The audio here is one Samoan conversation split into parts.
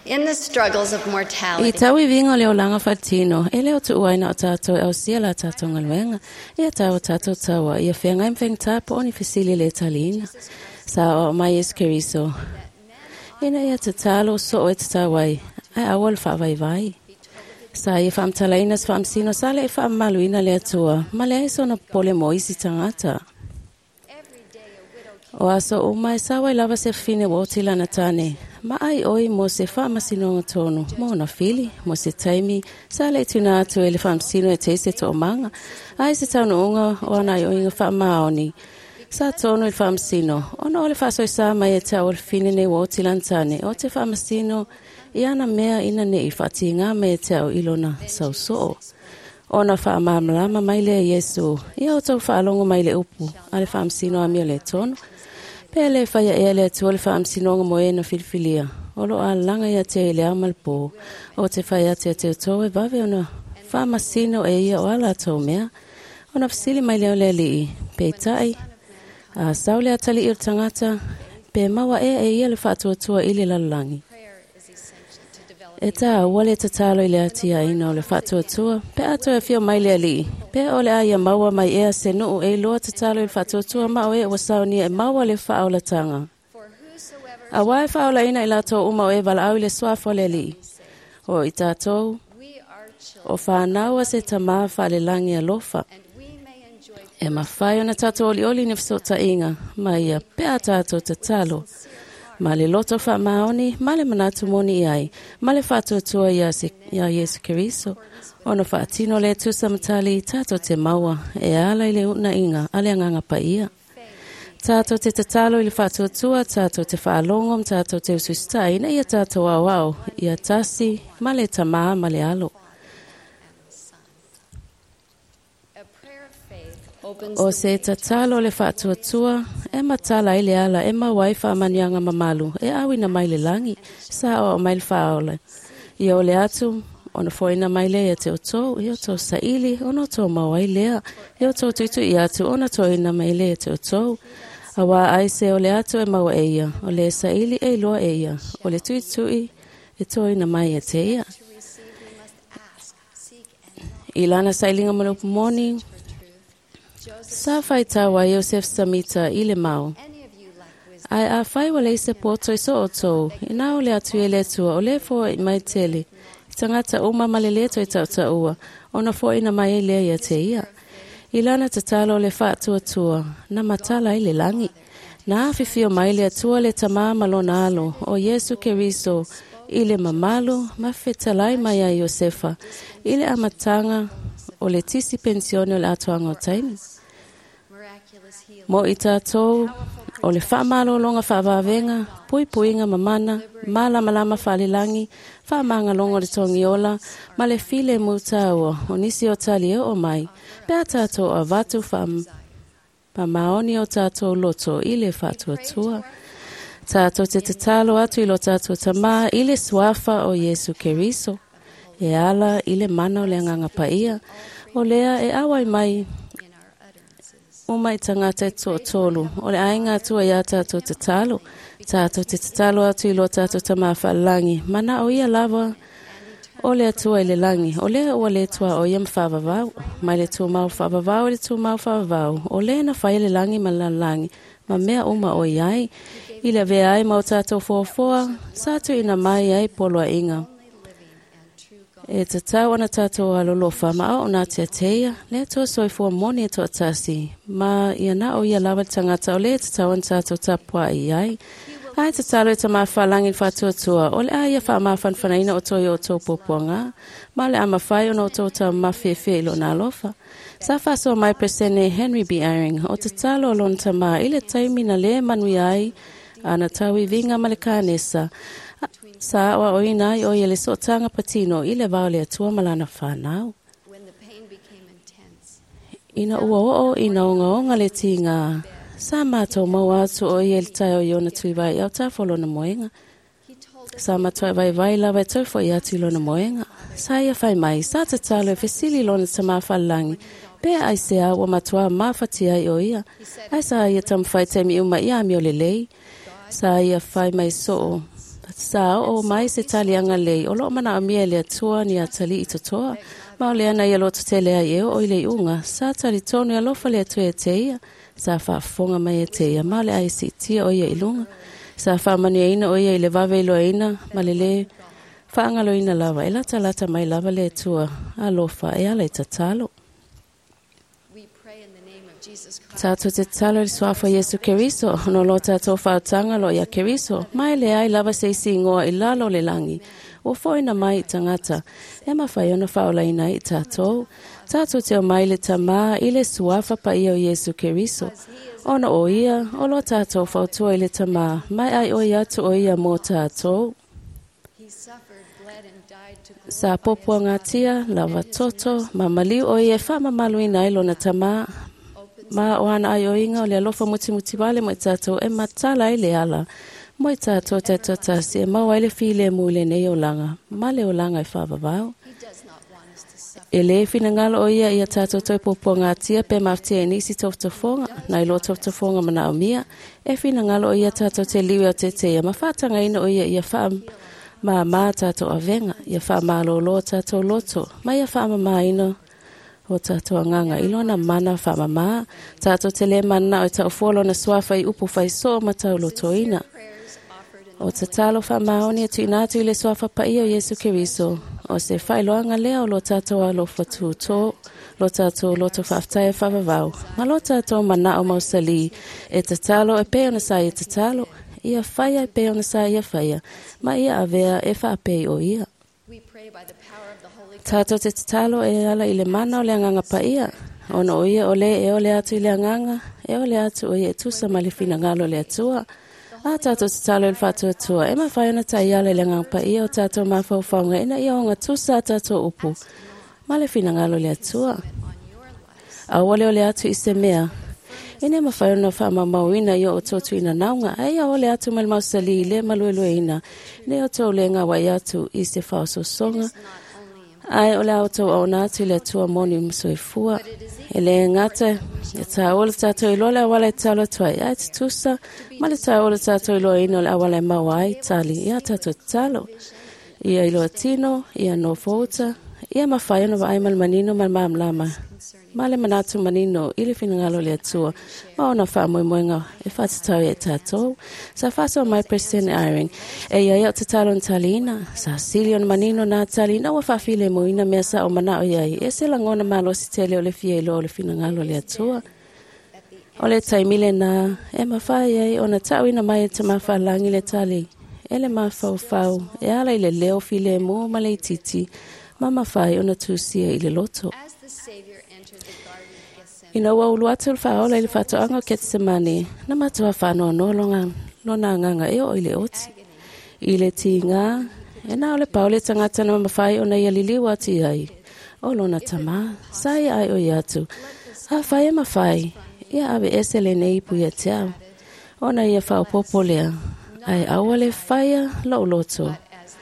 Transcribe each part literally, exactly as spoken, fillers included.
In the struggles of I mortality, tauiviga o le olaga faatino, e le o tuuaina o tatou e ausia la tatou galuega, ia tau o tatou taua, ia feagai ma faigata po o ni fesili le taliina. Sa aoao mai Iesu Keriso, ina ia tatalo soo e tatau ai, ae aua le faavaivai. Sa ia faamatalaina se faamasino sa le i faamamaluina le Atua, ma leai sona popole mo isi tagata. every day a widow O aso uma e sao ai lava se fafine ua oti lana tane, ma ai oi mo se faamasinoga tonu, mo ona fili, mo se taimi, sa le tuuina atu e le faamasino e te se toomaga, ai se taunuuga o ana aioiga faamaoni. Sa tonu i le faamasino, ona o le faasoesa mai e tau o le fafine nei ua oti lana tane, o te faamasino i ana mea ina nei faatiga mai e te au i lona sausoo. Ona faamalamalama mai lea Iesu, ia o tou faalogo mai le upu, a le faamasino amio le tonu. Pe le faia ea le Atua le faamasinoga mo e na filifilia. O lo alalaga ia te i le ao ma le po. O te fai atu ia te outou e vave ona faamasino e ia o a latou mea. Ona fesili mai lea o le alii, peitai, a sau le atalii o le tagata, pe maua ea e ia le faatuatua i le lalolagi. prayer is essential to develop E taua le tatalo i le atiaina o le faatuatua, pe a toe afio mai le alii, pe o le a ia maua mai ea se nuu e iloa tatalo i le faatuatua ma o e ua saunia e maua le faaolataga. For whosoever Auā e faaolaina i latou uma o e valaau i le suafa o le alii. O i tatou, we are children o fanau a se tamā faalelagi alofa. and we may enjoy E mafai ona tatou olioli ni fesootaiga, ma ia pe a tatou tatalo. Ma le loto faamaoni, ma le manatu moni i ai, ma le faatuatua ia, se, ia Iesu Keriso. Ona faatino le tusa matali tatou te maua, e ala i le uunaiga a le agaga paia. Tatou te tatalo i le faatuatua, tatou te faalogo ma tatou te usiusitai ina ia tatou aoao, ia tasi ma le tamā ma le alo. a prayer of faith opens O the se way to tatalo le faatuatua, e matala ai le ala e maua ai faamanuiaga mamalu, e auina mai le lagi, sa aoao mai le faaola. Ia o le atu, ona foina mai lea ia te outou, ia outou saili, ona outou maua ai lea, ia outou tuitui atu, ona toina mai lea ia te outou. Auā ai se o le atu e maua e ia, o le saili e iloa e ia, o le tuitui e toina mai e te ia. to receive we must ask, seek and knock I lana sailiga ma le upu moni, for truth. Joseph, sa faitau ai Iosef Samita i le mau. any of you lack wisdom, Ae afai ua leai se poto i so outou, ina o le atu i le Atua, o le foai mai tele, i tagata uma ma le le toe tautaua, ona foaina mai ai lea ia te ia. I lana tatalo o le faatuatua, na matala ai le lagi. Na afifio mai le Atua le tamā ma lona alo, o Iesu Keriso, i le mamalu ma fetalai mai ai Iosefa, i le amataga o le tisi penisione o le atoaga o taimi. miraculous healing, Mo i tatou, o le faamalologa faavavega, puipuiga mamana, malamalama faalelagi, faamagaloga o le togiola, ma le file mutaua, o nisi o tali e oo mai, pe a tatou avatu faamaoni o tatou loto i le faatuatua. Tatou te tatalo atu i lo tatou tamā i le suafa o Iesu Keriso, e ala i le mana o le agaga paia, o lea e auai mai in our utterances. uma i tagata e toatolu, o le aiga Atua ia tatou tatalo, tatou te tatalo atu i lo tatou tamā faalelagi, mana o ia lava o le Atua i le lagi, o lea ua le tua o ia ma faavavau, mai le tumau faavavau i le tumau faavavau, o lea na fai le lagi ma le lalolagi, ma mea uma o i ai, i le avea ai ma o tatou foafoa, sa tuuina mai ai poloaiga. Only living and true God. E tatau ona tatou alolofa ma ao ona teateia, le Atua soifua moni e toatasi, ma ia na o ia lava le tagata o le tatau ona tatou tapuai ai. Ae tatalo e tamā faalagi le faatuatua, o le a ia faamafanafanaina o toi o outou puapuaga, ma o le a mafai ona outou taumafefefe i lona alofa. Sa faasoa mai Peresene Henry B. Eyring, o tatalo o lona tamā i le taimi na le manuia ai, ana tauiviga ma le kanesa, sa aoaoina ai o ia le sootaga patino i le va o le Atua ma lana fanau. When the pain became intense, Ina ua oo ina ogaoga le tiga, sa matou maua atu o ia i le taeao i ona tuivai autafa o lona moega. he told us Sa matuai vaivai lava e tau fo'i atu i lona moega. Sa ia fai mai, sa tatalo e fesili lona tamā faalelagi, pe aisea ua matua mafatia ai o ia. Ae sa ia taumafai taimi uma ia amio lelei. Sa ia fai mai soo, Sa oo mai se taliaga lelei o loo manaomia e le Atua ni atalii totoa, ma o lea na ia lototele ai e oo i le iuga. Sa talitonu e alofa le Atua ia te ia, sa faafofoga mai ia te ia, ma o le a e siitia o ia i luga. Sa faamanuiaina o ia i le vave iloaina ma le lē faagaloina lava e latalata mai lava le Atua alofa e ala i tatalo. We pray in the name of Jesus Christ. Tātou te tatalo i le suafa o Iesu Keriso, ona o lo tātou faautaga lo ia Keriso, ma e leai lava se isi igoa i lalo o le lagi, ua foʻina mai i tagata, e mafai ona faaolaina ai i tātou. Tātou te omai i le Tamā i le suafa paia o Iesu Keriso, ona o ia o lo tātou fautua i le Tamā, mai ai o ia atu o ia mo tātou. He suffered, bled, and died to Sa glorify his popoagatia, lava toto, ma maliu o ia e faamamaluina ai lona Tamā, opens ma o ana aioiga o le alofa mutimuti vale mo i tātou e matala ai le ala. Mo i tātou taitoatasi e maua ai le filemu i lenei olaga, ma le olaga e faavavao. He does not want us to suffer. E lē finagalo o ia ia tātou toe puapuagatia pe mafatia i nisi tofotofoga, nai lo tofotofoga manaomia, e finagalo o ia tātou te liu e o teteia, ma faatagaina o ia ia faamāmā tātou avega, ia faamalōlō tātou loto, ma ia faamamāina o tātou agaga i lona mana faamamā, tātou te lē mananao e taufua lona suafa i upu faisoo ma taulotoina. Prayers offered in the O tatalo faamaoni e tuuina atu i le suafa paia o Iesu Keriso, o se faailoaga lea o lo tātou alofa tutō, lo tātou loto faafetai e faavavau, ma lo tātou manao mausalī, e tatalo e pei ona sa ia tatalo, ia faia e pei ona sa ia faia, ma ia avea e faapei o ia. We pray by the power of the Holy Ghost. Tātou te tatalo e ala i le mana o le agaga paia, ona o ia o le e ole atu i le agaga, e ole atu o ia e tusa ma le finagalo o le Atua. A tātou tatalo i le faatuatua, e mafai ona taiala i le agaga paia o tātou mafaufauga ina ia ogatusa a tātou upu, ma le finagalo o le Atua. On your lives. Aua le ole atu i se mea, ina mafai ona faamaumauina i o outou tuuinanauga, ae ia ole atu ma le mausali i le maluelueina, ina ia outou le gauai atu i se faaosoosoga, It's not only ae o le a outou aona atu i le Atua moni ma soifua. E lē gata e tāua le tātou iloa le auala e tatalo atu ai, ae tutusa ma le tāua le tātou iloaina o le auala e maua ai tali ia tātou tatalo. Ia iloa tino, ia nofouta, ia mafai ona vaai ma le manino ma le malamalama, ma le manatu manino i le finagalo o le Atua, ma ona faamoemoega e faatatau ia i tātou. Sa faasoa mai President Eyring, e ia ia o tatalo na taliina, sa sili ona manino nā taliina ua faafilemuina mea sa o manao iai, e se lagona malosi tele o le fia iloa o le finagalo o le Atua. O le taimi lenā, e mafai ai ona taʻuina mai e Tamā Faalagi le tali, e le mafaufau, e ala i le leo filemu ma le itiiti, ma mafai ona tusia i le loto. As the Savior entered the Garden of Gethsemane, Ina ua ulu atu le faaola i le faatoaga o Ketsemane, na matua faanoanoa longa, lona agaga e oo i le oti. I le tigā, e na o le pau le tagata na mafai ona ia liliu atu i ai, o lona Tamā, sa ia ai o ia atu. Afai e mafai, ia ave ese lenei ipu ia te au. Ona ia faaopopo lea, ae aua le faia lou loto, as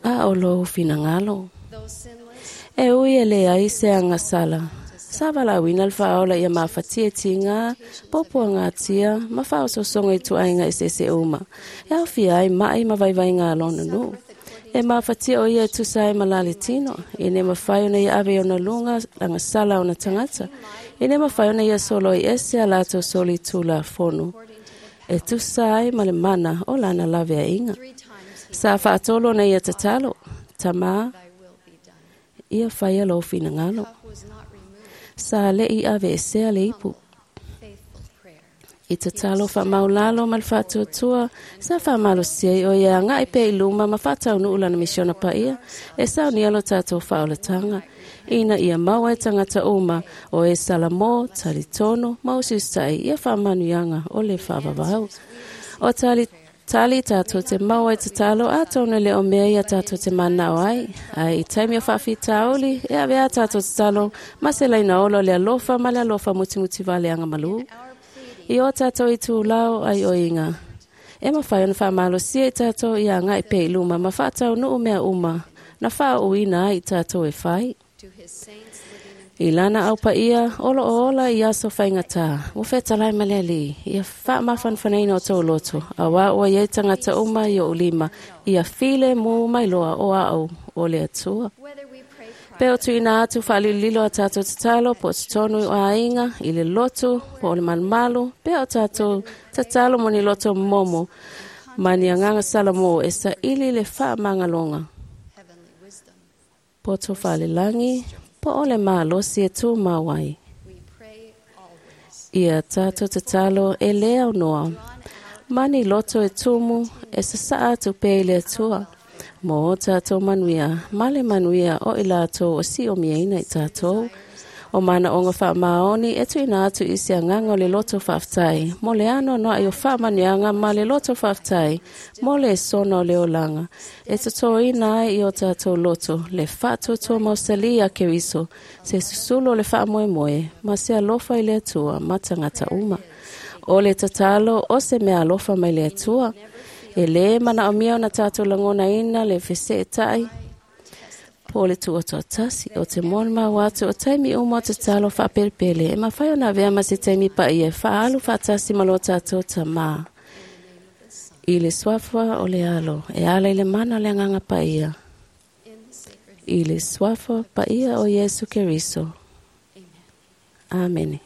thou, a o lou finagalo. though sinless, E ui e leai se agasala. Sa valaauina le faaola ia mafatia e tigā, popoagatia, ma faaosoosoga i tuaiga eseese uma. E aofia ai maʻi ma vaivaiga a lona nuu. E mafatia o ia e tusa ai ma la le tino, e le mafai ona ia ave i ona luga agasala ona tagata. E le mafai ona ia soloi ese a latou solitulafono. E tusa ai ma le mana o lana laveaiga. three times he Sa faatolu ona ia tatalo, Tamā, thy will be done. ia faia lou finagalo. Cup was not removed. Sa leʻi ave esea le ipu. Faithful prayer. I tatalo faamaulalo ma le faatuatua, sa faamalosia ai o ia agaʻi pea i luma ma faataunuu lana misiona paia, e saunia lo tātou faaolataga, ina ia maua e tagata uma o e Salamō, talitonu, ma usiusitai ia faamanuiaga o le faavavau. O tali tali tātou te maua i tatalo atonu e le o mea ia tātou te manao ai, ae i taimi o faafitauli, e ave a tātou tatalo, ma se laina ola o le alofa ma le alofa mutimuti valeaga malū. Our pleading I o tātou i tūlao ai o inga. E mafai ona faamalosia i tātou ia agaʻi pea i luma ma faataunuu mea uma, na faauuina ai i tātou e fai. to his saints living in I lana au paia o lo o ola i aso faigata, ua fetalai ma le Alii, ia faamafanafanaina o tou loto, auā ua iai tagata uma i oʻu lima, ia filemu mai loa o a'u o le Atua. Whether we pray Pe o tuuina atu faalilolilo a tatou tatalo po o totonu o aiga, i le lotu, po o le malumalu, pe o tatou tatalo mo ni loto momo, ma ni agaga salamo e saili le faamagaloga, heavenly wisdom, poto faalelagi, po o le malosi e tumau ai. we pray always. Ia tatou tatalo e lē aunoa, Drawn out ma ni loto e tumu e sasaa atu pea i le Atua, mo o tatou manuia, ma le manuia o i latou o siʻomiaina i tatou. O manaʻoga faamaoni e tuuina atu i se agaga o le loto faafetai, mo le anoanoaʻi o faamanuiaga ma le loto faafetai, mo le sona o le olaga, e totoina ai i o tatou loto le faatuatua mausali a Keriso, se susulu o le faamoemoe, ma se alofa i le Atua ma tagata uma. O le tatalo o se mea alofa mai le Atua, e lē manaʻomia ona tatou lagonaina le feseʻetaʻi, po o le tuʻatoatasi o te molimau atu o taimi uma o tatalo faapelepele e mafai ona avea ma se taimi paia e faaalu faatasi ma lo tatou Tamā. I le suafa o le Alo, e ala i le mana o le Agaga Paia, in the sacred i le suafa paia o Iesu Keriso. Amen. Amene.